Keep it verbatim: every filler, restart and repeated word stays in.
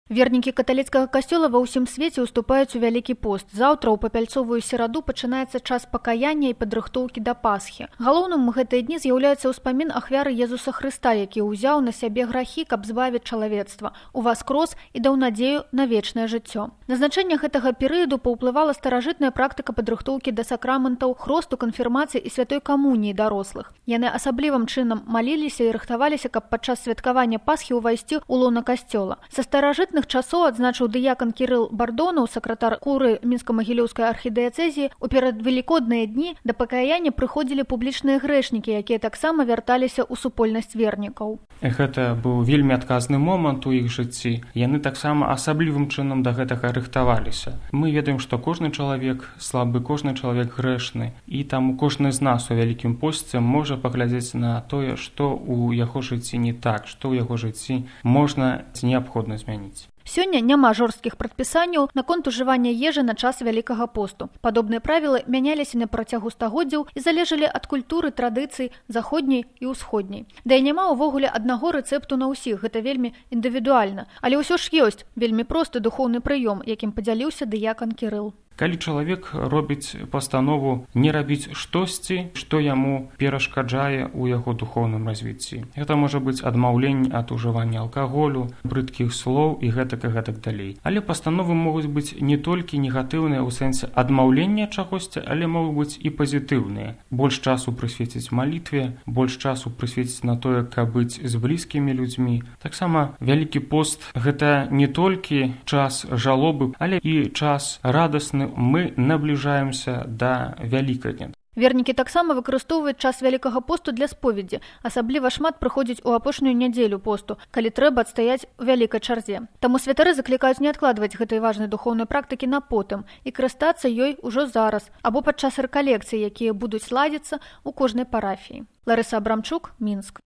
Вернікі каталіцкага касцёла ва ўсім свеце ўступаюць у вялікі пост. Заўтра ў папяльцовую сераду пачынаецца час пакаяння і падрыхтоўкі да Пасхі. Галоўным у гэтыя дні з'яўляецца ўспамін ахвяры Езуса Хрыста, які ўзяў на сябе грахі, каб збавіць чалавецтва, уваскрос і даў надзею на вечнае жыццё. На значэнне гэтага перыяду паўплывала старажытная практыка падрыхтоўкі да сакраментаў, хросту, канфірмацыі і святой камуніі дарослых. Яны асаблівым чынам маліліся і рыхтаваліся, каб падчас святкавання Пасхі ўвайсці ў лона касцёла. Са старажытных часоў, адзначыў дыякан Кірыл Бардонаў, сакратар куры Мінска-Магілёўскай архідыяцэзіі, у перадвелікодныя дні да пакаяння прыходзілі публічныя грэшнікі, якія таксама вярталіся ў супольнасць вернікаў. Гэта быў вельмі адказны момант у іх жыцці. Яны таксама асаблівым чынам да гэтага рыхтаваліся. Мы ведаем, што кожны чалавек слабы, кожны чалавек грэшны, і таму кожны з нас у вялікім посце можа паглядзець на тое, што ў яго жыцці не так, што ў яго жыцці можна ці неабходна змяніць. Сёння няма жорсткіх прадпісанняў наконт ужывання ежы на час вялікага посту. Падобныя правілы мяняліся на працягу стагоддзяў і залежалі ад культуры, традыцый заходняй і ўсходняй. Да і няма ўвогуле аднаго рэцэпту на ўсіх, гэта вельмі індывідуальна. Але ўсё ж ёсць вельмі просты духоўны прыём, якім падзяліўся дыякан Кірыл. Калі чалавек робіць пастанову не рабіць штосьці, што яму перашкаджае ў яго духоўным развіцці. Гэта можа быць адмаўленне ад ужывання алкаголю, брыдкіх слоў і гэтак і гэтак далей. Але пастановы могуць быць не толькі негатыўныя ў сэнсе адмаўлення чагосьці, але могуць быць і пазітыўныя. Больш часу прысвеціць малітве, больш часу прысвеціць на тое, каб быць з блізкімі людзьмі. Таксама вялікі пост гэта не толькі час жалобы, але і час радасны. Мы набліжаемся да Вялікадня. Вернікі таксама выкарыстоўваюць час вялікага посту для споведзі. Асабліва шмат прыходзіць у апошнюю нядзелю посту, калі трэба адстаяць у вялікай чарзе. Таму святары заклікаюць не адкладваць гэтай важнай духоўнай практыкі на потым і карыстацца ёй ужо зараз або падчас рэкалекцый, якія будуць ладзіцца ў кожнай парафіі. Ларыса Абрамчук, Мінск.